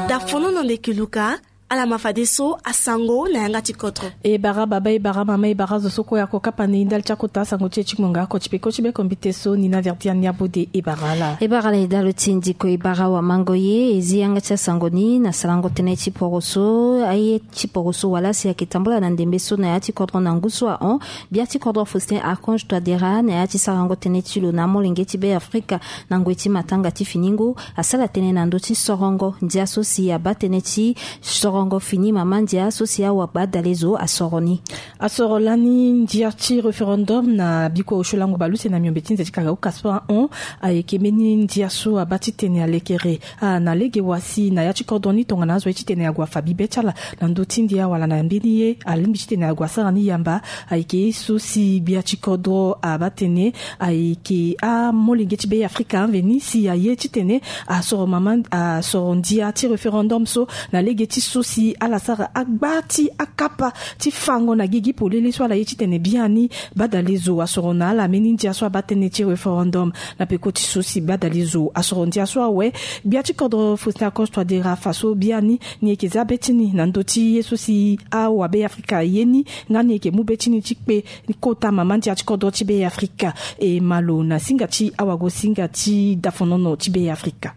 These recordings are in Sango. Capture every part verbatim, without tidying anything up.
Dafono na ndeke luka. Ala ma fadeso asango na yanga ti kodro. E bara baba, e bara mama, e bara zo so kue ako kapa na e ndali ti akota asango ti e ti ngonga oko ti peko ti be kombite so ni na verdi ania bode. E bara ala. E bara ala e dalo ti ndiko, e bara wamango ye e zi yanga ti asango ni na sarango tënë ti poroso. Aye ti poroso wala si ayeke tambula na ndembe so na ya ti kodro na ngu so ahon. Bia ti kodro Faustin Archange Touadéra na ya ti sarango tënë ti lo na amolenge ti Be Afrika na ngoi ti matanga ti fini ngu asara tënë na ndö ti sorongo ndia so si abaa tënë ti sorongo fini mama ndia so si awabadalezo asoro ni. Asoro lani ndia ti référendum na bikua osio lango baleuse na miombe ti nze ti kaka ukaso ahon. Ayeke mbeni ndia so abaa titene alekere na lege wa si na ya ti kodro ni tongana azo ye titene ague afa bibe ti ala na ndö ti ndia wala na mbeni ye alingbi titene ague asara ni yamba. Ayeke ye so si gbia ti kodro abaa tene ayeke amolenge ti Be Afrika amveni si aye titene asoro mama asoro ndia ti référendum so na lege ti so si ala sara agba ti akapa ti fango na gigi polele so ala ye titene biani badalezo asoro na ala mbeni ndia so abaa tënë ti référendum. Na peko ti so si badalezo asoro ndia so awe, gbia ti kodro Faustin Archange Touadéra fa so biani ni yeke za be ti ni na ndö ti ye so si awabe Afrika aye ni nga ni yeke mu be ti ni ti kpe kota mama ndia ti kodro ti Be Afrika. E ma lo na singa ti awagosinga ti dafonono ti Be Afrika.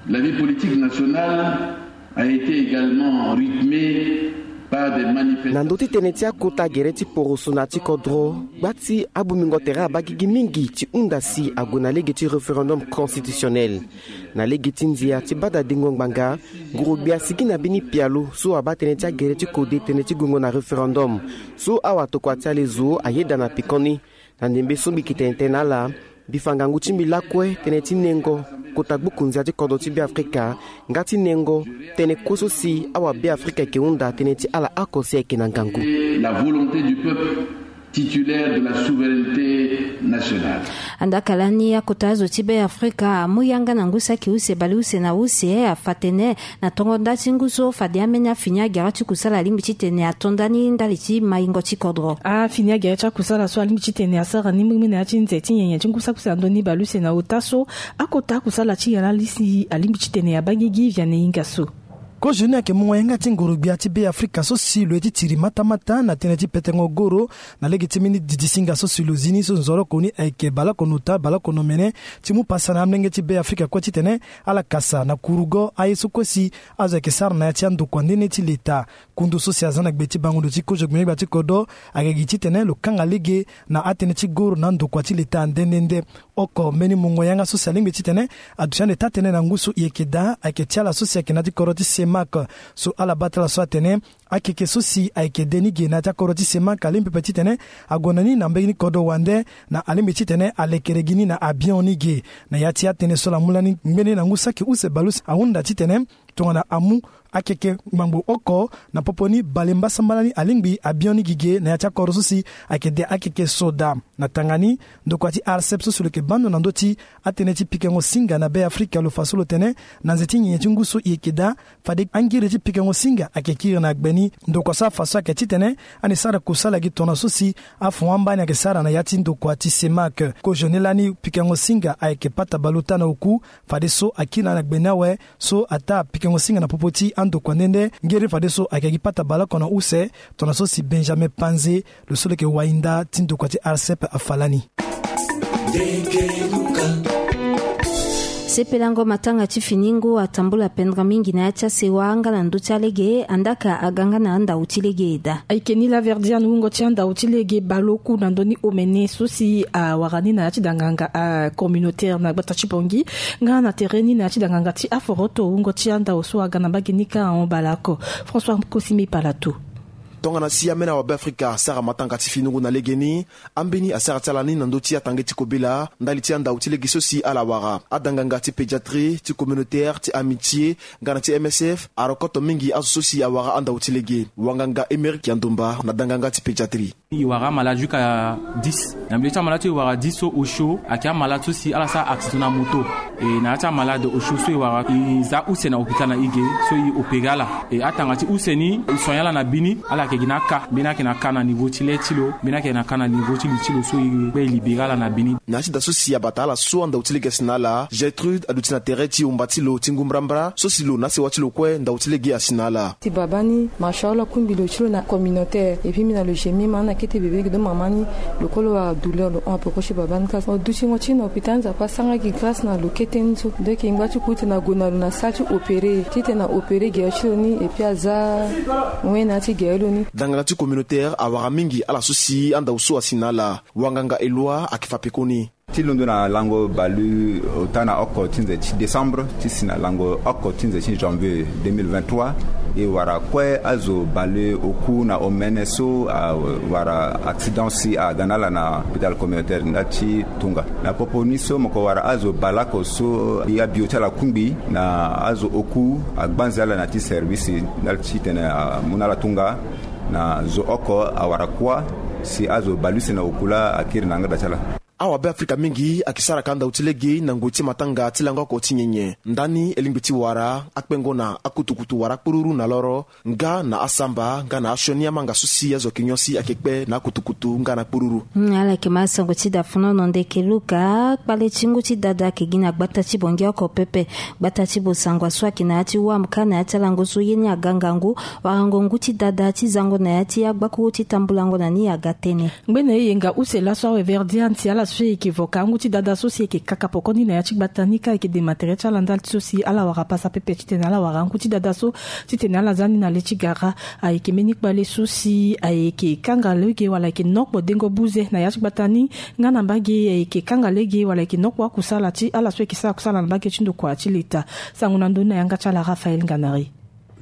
La vie politique nationale a été également rythmée par des manifestations. Na ndö ti tënë ti akota gere ti poroso na ya ti kodro, gba ti abungbingo tere abaa gigi mingi ti hunda si ague na lege ti référendum constitutionnel. Na lege ti ndia ti badadingo ngbanga, nguru-gbia asigi na mbeni pialo so abaa tënë ti agere ti kode tënë ti gongo na référendum so awatokua ti ala ezo ayeda na pekoni. Na ndembe so mbi yeke tene tënë na ala, mbi fa ngangu ti mbi lakue tënë ti nengo kota gbuku ndia ti kodro ti Be Afrika nga ti nengo tënë kue so si awabe Afrika ayeke hunda tënë ti ala oko si ayeke na ngangu. La volonté du peuple titulaire de la souveraineté nationale. Andaka lani akota azo ti Be Afrika amu yanga na ngu saki use baleuse na use afa tene na tongo nda ti ngu so fade ambeni afini agere ti kusala alingbi titene ato ndani ndali ti maingo ti kodro. Afini agere ti akusala so alingbi titene asara ni mbirimbiri na ya ti nze ti nyenye ti ngu saki use na ndö ni baleuse na ota so akota akusala ti yalali si alingbi titene abaa gigi via na e hinga so. Kozo ni ayeke mungo yanga ti nguru-gbia ti Be Afrika so si lo ye ti tiri matamata na tënë ti petengo goro na lege ti mbeni didi singa so si lo zi ni so nzoroko ni ayeke baleoko nota baleoko nomene ti mu pasa na amolenge ti Be Afrika kue titene ala kasa na kurugo aye so kue si azo ayeke sara na ya ti andokua nde nde ti leta. Kundu so si aza na gbe ti bango ndo ti kozo gbengbe gbia ti kodro ayeke gi titene lo kanga lege na atënë ti goro na andokua ti leta nde nde nde. Oko mbeni mungo yanga so si alingbi titene aduti ande taa-tënë na ngu so e yeke daa ayeke ti ala so si ayeke na ya ti kodro ti CEMAC. So ala baa ti ala so atene akeke so si ayeke de ni ge na ya ti akodro ti CEMAC alingbi pepe titene ague na ni na mbeni kodro wande na alingbi titene alekere gi ni na abion ni ge. Na ya ti atënë so ala mu lani ngbene na ngu saki use baleuse ahunda titene tongana amu akeke ngbangbo oko na popo ni bale mbasambala ni alingbi abion ni gi ge na ya ti akodro so si ayeke de akeke soda. Na tanga ni, ndokua ti ARCEP so si lo yeke baa ndo na ndö ti atënë ti pikango singa na Be Afrika lo fa so lo tene na nze ti nyenye ti ngu so e yeke daa fade angiri ti pikango singa ayeke kiri na gbe ni. Ndokua so afa so ayeke titene ande sara kusala gi tongana so si afo amba ni ayeke sara na ya ti ndokua ti CEMAC. Kozo ni lani pikango singa ayeke pata bale ota na oku fadeso akiri na ala na gbe ni awe so ataa pikango singa na popo ti andokua nde nde ngeri fadeso ayeke gi pata baleoko na use tongana so si Benjamin Panze lo so lo yeke wainda ti ndokua ti ARCEP afa lani. Sepelango matanga ti fini ngu atambula pendere mingi na ya ti asewa nga na ndö ti alege andaka aga nga na andau ti lege daa. Ayeke ni laverdian wungo ti andau ti lege baleoku na ndö ni omene so si awara ni na ya ti danganga communautaire na gbata ti Bangui nga na tere ni na ya ti danganga ti aforoto wungo ti andau so aga na mbage ni kâ ahon baleoko. François Kosimi Palato. Tongana si ambeni awabe Afrika asara matanga ti fini ngu na legeni, ambeni asara ti ala ni na ndö ti atange ti kobela ndali ti andau ti lege so si ala wara. Adanganga ti pédiatrie, ti communautaire, ti amitié nga na ti M S F arokoto mingi azo so si awara andau ti lege. Wanganga Émeric Yandomba na danganga ti pédiatrie. E wara amalade jusqu'à dix. Na milieu ti amalade so e wara dix so osio ayeke amalade so si ala sara accident na moto. E na ya ti amalade osio so e wara, e za use na hôpital na e ge, so e opéré ala. E atanga ti use ni e soigné ala na bini. Ala yeke gi na aka, mbeni ayeke na aka na niveau ti le ti lo, mbeni ayeke na aka na niveau ti li ti lo, so e kpe e libéré ala na bini. Na ya ti da so si abata ala so andau ti lege asi na ala, Gertrude aduti na tere ti omba ti lo ti ngu mbrambra so si lo na asewa ti lo kue ndau ti lege asi na ala. Ti baba ni, masha Allah, kungbi lo ti lo na communautaire. Et puis mbi na lo gemi ma ana kete bebe gi do mama ni. Lo kue lo wara douleur, lo hon apoko ti baba ni kâ. Mo dutingo ti na hôpital, Nzapa asara gi grâce na lo kete ni so. Donc e ngba ti ku titene ague na lo na salle ti opéré, titene aopéré gere ti lo ni, et puis aza wen na ya ti gere lo ni. Dangala ti communautaire awara mingi ala so si andau so asi na ala. Wanganga Eloi ayeke fa pekoni. Ti londo na lango baleota na oko ti nze ti décembre ti si na lango oko ti nze ti janvier deux mille vingt-trois, e wara kue azo baleoku na omene so awara accident si aga na ala na hôpital communautaire ndali ti Tunga. Na popo ni so mo yeke wara azo baleoko so abio ti ala kungbi na azo oku agbanze ala na ya ti service ndali titene amu na ala tunga. Na zo oko awara kuâ si azo baleuse na oku laa akiri na yanga da ti ala. Awabe Afrika mingi ayeke sara ka ndau ti lege na ngoi ti matanga ti lango oko ti nyenye. Ndani e lingbi ti wara akpengo na akutukutu wara akpururu na loro nga na asamba nga na asioni amanga so si azo ayeke nyon si ayeke kpe na akutukutu nga na akpururu. Hmm, ala yeke ma sango ti da fonono ndeke Luka. Kpale ti ngu ti dada ayeke gi na gbata ti Bongi oko pepe. Gbata ti Bosangwa so ayeke na ya ti Wam kâ na ya ti alango so ye ni aga ngangu. Warango ngu ti dada ti zango na ya ti agbakuru ti tambulango na ni aga tënë. Ngbene e yenga use laso awe Verdian si ala so e yeke vo ka ngu ti dada so si e yeke kaka poko ni na ya ti gbata ni kâ e yeke dema tere ti ala ndali ti so si ala wara pasa pepe titene ala wara ngu ti dada so titene ala za ni na le ti gara. Ayeke mbeni kpale so si ayeke kanga lege wala ayeke nokpo dengo buze na ya ti gbata ni nga na mbage ayeke kanga lege wala ayeke nokpo akusala ti ala so ayeke sara kusala na mbage ti ndokua ti leta. Sango na ndoni na yanga ti ala Raphaël Nganari.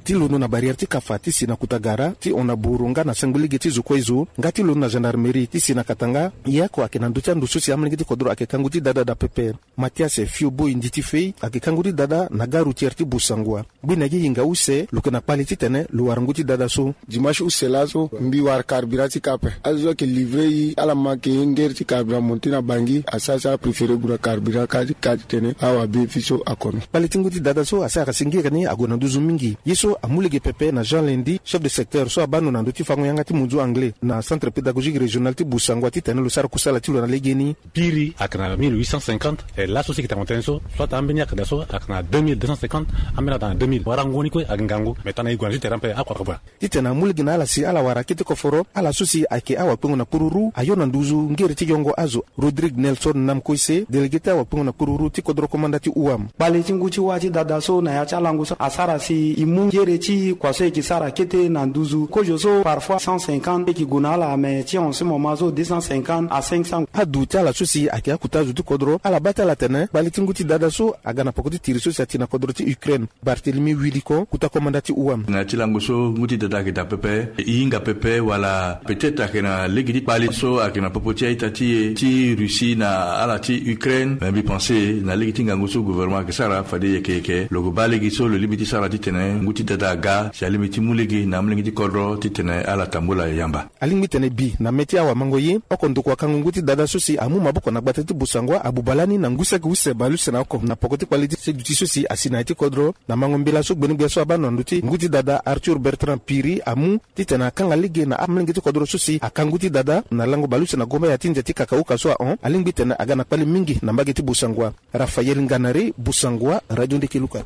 Ti londo na barrière ti Kafa ti si na Kutagara ti hon na buru nga na sengbe lege ti zo kue zo nga ti londo na gendarmerie ti si na Katanga. Ye oko ayeke na ndö ti ando so si amolenge ti kodro ayeke ka ngu ti dada daa pepe. Mathias Fioboy Nditi Fei ayeke ka ngu ti dada na gare routière ti Bosangwa. Ngbene gi hinga use lo yeke na kpale titene lo wara ngu ti dada so. Dimanche use laso mbi wara carburant ti kâ ape. Azo so ayeke livrer e ala manke ye ngere ti carburant monté na Bangui asara si apréféré gue na carburant kâ ti kâ titene awa bénéfice so akono. Kpale ti ngu ti dada so asara si ngere ni ague na nduzu mingi. Ye so amu lege pepe na Jean Lendi, chef de secteur so abaa ndo na ndö ti fango yanga ti munzu anglais na centre pédagogique régional ti Bosangwa titene lo sara kusala ti lo na legeni. Piri ayeke na mille huit cent cinquante, e laso si e yeke tanga tënë so soit ambeni ayeke daa so ayeke na deux mille deux cent cinquante, ambeni ayeke daa na deux mille. Warango ni kue ayeke ngangu, mais tongana e gue na ti terrain ape oko ayeke bua. Titene amu lege na ala si ala wara kete koforo ala so si ayeke awakpengo na kururu ayo na nduzu ngere ti yongo azo. Rodrigue Nelson Namkoise, délégué ti awakpengo na kururu ti kodro komanda ti Ouam. Kpale ti ngu ti wâ ti dada so na ya ti alango so asara si e mu ngere ti kua so e yeke sara kete na nduzu kozo so parfois cent cinquante e yeke gue na ala, mais ti en ce moment so deux cent cinquante à cinq cents. Adu ti ala so si ayeke akota azo ti kodro ala baa ti ala atene kpale ti ngu ti dada so aga na poko ti tiri so si ati na kodro ti Ukraine. Barthélemy Wiliko, kota komanda ti Ouam. Na ya ti lango so ngu ti dada ayeke daa pepe, e hinga pepe wala peut-être ayeke na lege ti kpale so ayeke na popo ti a-ita ti e ti Russie na ala ti Ukraine. Mais mbi pense na lege ti ngangu so gouvernement ayeke sara fade yeke yeke lo yeke baa lege so lo lingbi ti sara titene ngu ti dada aga si alingbi ti mu lege na amolenge ti kodro titene ala tambula yamba. Alingbi tene bi na mê ti awamango ye oko ndokua kango ngu ti dada so si amu maboko na gbata ti Bosangwa abuba lani na ngu saki use baleuse na oko na poko ti kpale ti seduti so si asi na ya ti kodro. Na mango mbela so gbenegbia so abaa ndo na ndö ti ngu ti dada Arthur Bertrand Piri amu titene akanga lege na amolenge ti kodro so si aka ngu ti dada na lango baleuse na gomba ya ti nze ti kakahuka so ahon alingbi tene aga na kpale mingi na mbage ti Bosangwa. Raphaël Nganari, Bosangwa, Radio Ndeke Luka.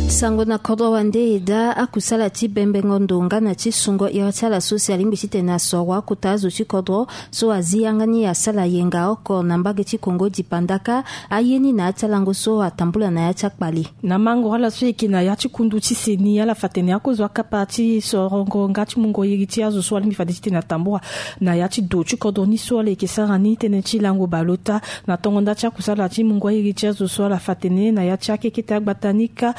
Sango na kodro wande e daa akusala ti bembengo ndo nga na ti sungo iri ti ala so si alingbi titene asoro akota azo ti kodro so azi yanga ni asara yenga oko na mbage ti Kongo dipanda kâ. Aye ni na ya ti alango so atambula na ya ti akpale. Na mango ala so e yeke na ya ti kundu ti seni ala fa tene akozo akapa ti sorongo nga ti mungo iri ti azo so alingbi fade titene atambula na ya ti do ti kodro ni so ala yeke sara ni tënë ti lango baleota. Na tongo nda ti akusala ti mungo airi ti azo so ala fa tene na ya ti akekete agbata ni kâ.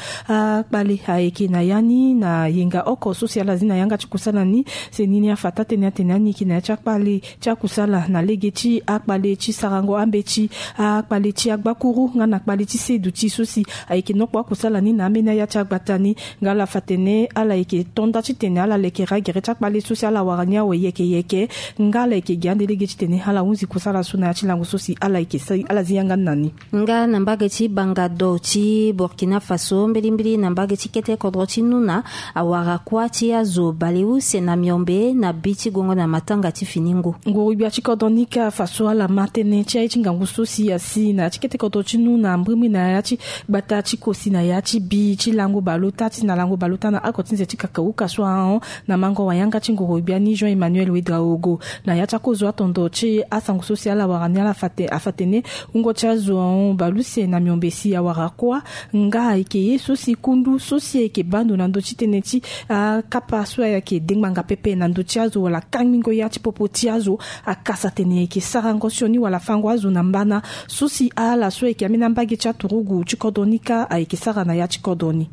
Akpale ayeke na ya ni na yenga oko so si ala zi na yanga ti kusala ni. Se ni ni afa taa-tënë atene ani yeke na ya ti akpale ti akusala na lege ti akpale ti sarango ambeti, akpale ti agbakuru nga na akpale ti seduti so si ayeke nokpo akusala ni na ambeni aya ti agbata ni. Nga ala fa tene ala yeke to nda titene ala lekere agere ti akpale so si ala wara ni awe yeke yeke. Nga ala yeke gi ande lege titene ala hunzi kusala so na ya ti lango so si ala yeke sa ala zi yanga ni na ni. Nga na mbage ti bangado ti Burkina Faso, mbirimbiri na mbage ti kete kodro ti Nuna, awara kuâ ti azo baleuse na miombe na bi ti gongo na matanga ti fini ngu. Nguru-gbia ti kodro ni kâ fa so ala ma tënë ti aye ti ngangu so si asi na ya ti kete kodro ti Nuna, mbirimbiri na ya ti gbata ti kosi na ya ti bi ti lango baleota ti na lango baleota na oko ti nze ti kakauka so ahon. Na mango wayanga ti nguru-gbia ni Jean Emmanuel Ouedraogo, na ya ti akozo atondo ti asango so si ala wara ni, ala fa te- afa tene wungo ti azo ahon baleuse na miombe si awara kuâ. Nga ayeke ye so si kundu so si ayeke baa ndo na ndö ti tënë ti akapa so ayeke dengbanga pepe na ndö ti azo wala kangbingo ya ti popo ti azo, akasa tene ayeke sarango sioni wala fango azo na mbana so si ala so ayeke ambeni ambage ti aturugu ti kodro ni kâ ayeke sara na ya ti kodro ni.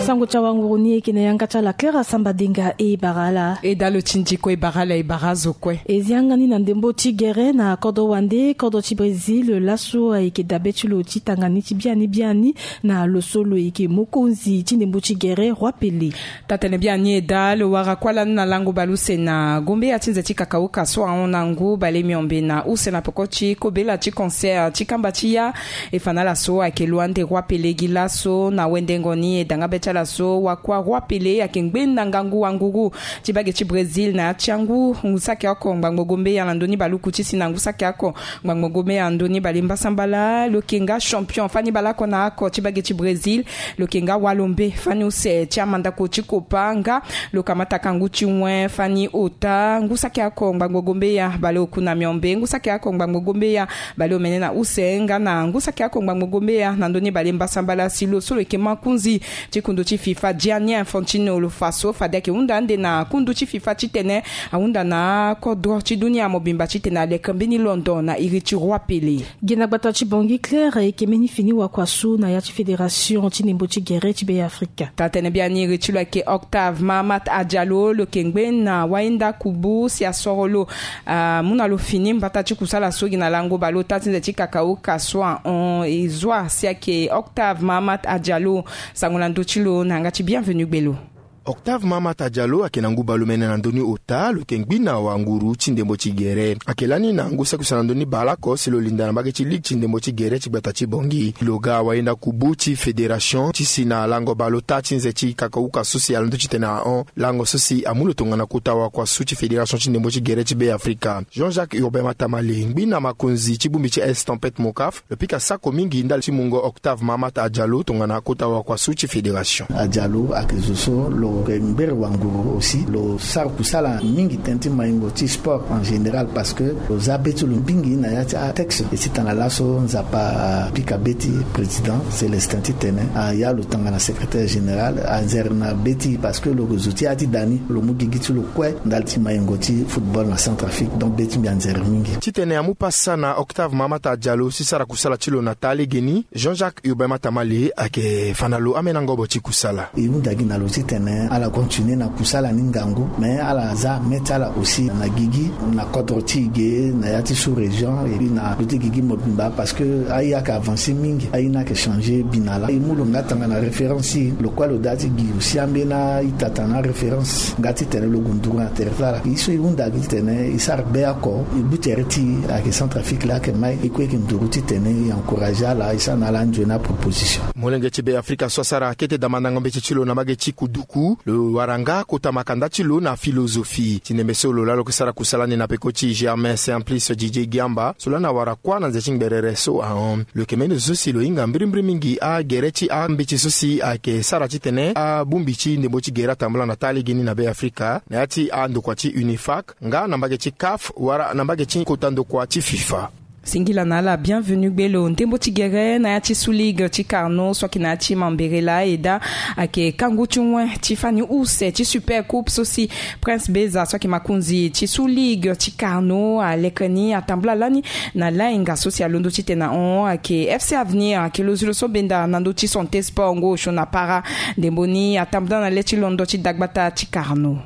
Sango ti awanguru ni ayeke na yanga ti ala Claire Asamba Denga. E bara ala. E dalo ti ndiko, e bara ala, e bara azo kue. E zi yanga ni na ndembo ti gere na kodro wande, kodro ti Brésil laso ayeke dabe ti lo ti tanga ni ti biani biani na lo so lo yeke mokonzi ti ndembo ti gere, Roi Pelé. Taa-tënë biani e daa, lo wara kuâ lani na lango baleuse na gombeya ti nze ti kakauka so ahon na ngu bale miombe na use na peko ti kobela ti concert ti kamba ti ya. E fa na ala so ayeke lo ande Roi Pelé gi laso na wendengo ni e da nga be ti ala so wakuâ Roi Pelé ayeke ngbeni na ngangu wanguru ti bage ti Brésil na ya ti angu ngu saki oko ngbangbo gombeya na ndö ni baluku ti si na ngu saki oko ngbangbo gombeya na ndö ni bale mbasambala. Lo yeke nga champion fani baleoko na oko ti bage ti Brésil. Lo yeke nga walombe fani use ti amandako ti Copa nga lo kamata ka ngu ti wen fani ota ngu saki oko ngbangbo gombeya bale oku na miombe, ngu saki oko ngbangbo gombeya bale omene na use nga na ngu saki oko ngbangbo gombeya na ndö ni bale mbasambala si lo so lo yeke makunzi ti kundu ti FIFA Gianni Infantino lo fa so fade ayeke hunda ande na kundu ti FIFA titene ahunda na akodro ti dunia mobimba titene aleke mbeni londo na iri ti Roi Pelé. Gi na gbata ti Bangui, Claire, ayeke mbeni fini wakua so na ya ti fédération ti ndembo ti gere ti Beafrika. Taa-tënë biani iri ti lo ayeke Octave Mahamat Adjalo, lo yeke ngbeni na wayenda kubu si asoro lo amu na lo fini mbata ti kusala so gi na lango baleota ti nze ti kakauka so ahon. E zua si ayeke Octave Mahamat Adjalo. Sango na ndö ti lo na yanga ti Bienvenu Gbelo. Octave Mahamat Adjalo ayeke na ngu baleomene na ndö ni ota, lo yeke ngbeni na wanguru ti ndembo ti gere. Ayeke lani na ngu saki use na ndö ni baleoko si lo linda na mbage ti ligue ti ndembo ti gere ti gbata ti Bangui. Lo ga wayenda kubu ti fédération ti si na lango baleota ti nze ti kakauka so si ala ndö titene ahon lango so si amu lo tongana kota wakua so ti fédération ti ndembo ti gere ti Beafrika. Jean-Jacques Urbain Matamale, ngbeni na makonzi ti bongbi ti Estampette Mocaf, lo pika sako mingi ndali ti mungo Octave Mahamat Adjalo tongana kota wakua so ti fédération. Adjalo ayeke zo so lo yeke ngbere wanguru aussi, lo sara kusala mingi tënë ti maingo ti sport en général, parce que lo za be ti lo mingi na ya ti atexte. E titene laso Nzapa apika be ti président Célestin titene aya lo tongana secrétaire général, anzere na be ti, parce que lo yeke zo ti ya ti da ni, lo mu gigi ti lo kue ndali ti maingo ti football na Centrafrique. Donc be ti mbi anzere mingi. Titene amu pasa na Octave Mahamat Adjalo si sara kusala ti lo na taa legeni, Jean-Jacques Urbain Matamale ayeke fa na lo ambeni angobo ti kusala. E hunda gi na lo titene ala continuer na kusala ni ngangu, mais ala za me ti ala aussi na gigi, na kodro ti e ge, na ya ti sous-région, et puis na lo ti gigi mobimba, parce que aye ayeke avancer mingi, aye ni ayeke changer bi na laa. E mu lo nga tongana référence ti e, lo kue lo daa ti gi aussi ambeni a-ita tongana référence nga titene lo gue nduru na tere ti ala. Ye so e hunda gi titene e sara be oko, e gbu tere ti e ayeke Centrafrique laa ayeke mai, e kue e yeke nduru titene e encourager ala, e sara na ala anzoni aproposition. Molenge ti Beafrika so asara kete damandango mbeti ti lo na mbage ti kuduku, lo wara nga kota makanda ti lo na philosophie. Ti ndembe so lo laa lo yeke sara kusala ni na peko ti Germain Simplice Didier Giamba, so lani awara kuâ na nze ti ngberere so ahon. Lo yeke mbeni zo so si lo hinga mbirimbiri mingi agere ti ambeti so si ayeke sara titene abongbi ti ndembo ti gere atambula na taa legeni na Beafrika, na ya ti andokua ti UNIFAC, nga na mbage ti CAF, wala na mbage ti kota ndokua ti FIFA. Singila na ala bienvenu gbelo ndembo ti gere na ya ti sous ligue ti Carnot so ayeke na ya ti mambere laa eda. Ayeke kangu ti wen ti fani use ti super coupe so si Prince Beza so ayeke makonzi ti sous ligue ti Carnot alekere ni atambula lani na lainga so si alondo ti tene na hon ayeke FC Avenir ayeke lozi lo so benda na ndö ti Santé Sport ngo osio na para. Ndembo ni atambula na le ti londo ti dagbata ti Carnot.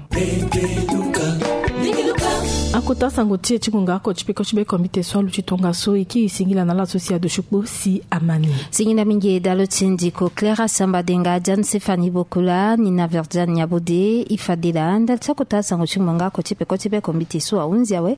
Akota sango ti e ti ngonga oko ti peko ti be kombite so aluti tongaso e kiri singila na ala so si aduti kpo si amani. Singila mingi dalo ti ndiko Clara Sambadenga, Diane Stéphanie Bokola, Nina Verdiane Nyabode, Ifadela ndali ti akota sango ti ngonga oko ti peko ti be kombite so ahunzi awe.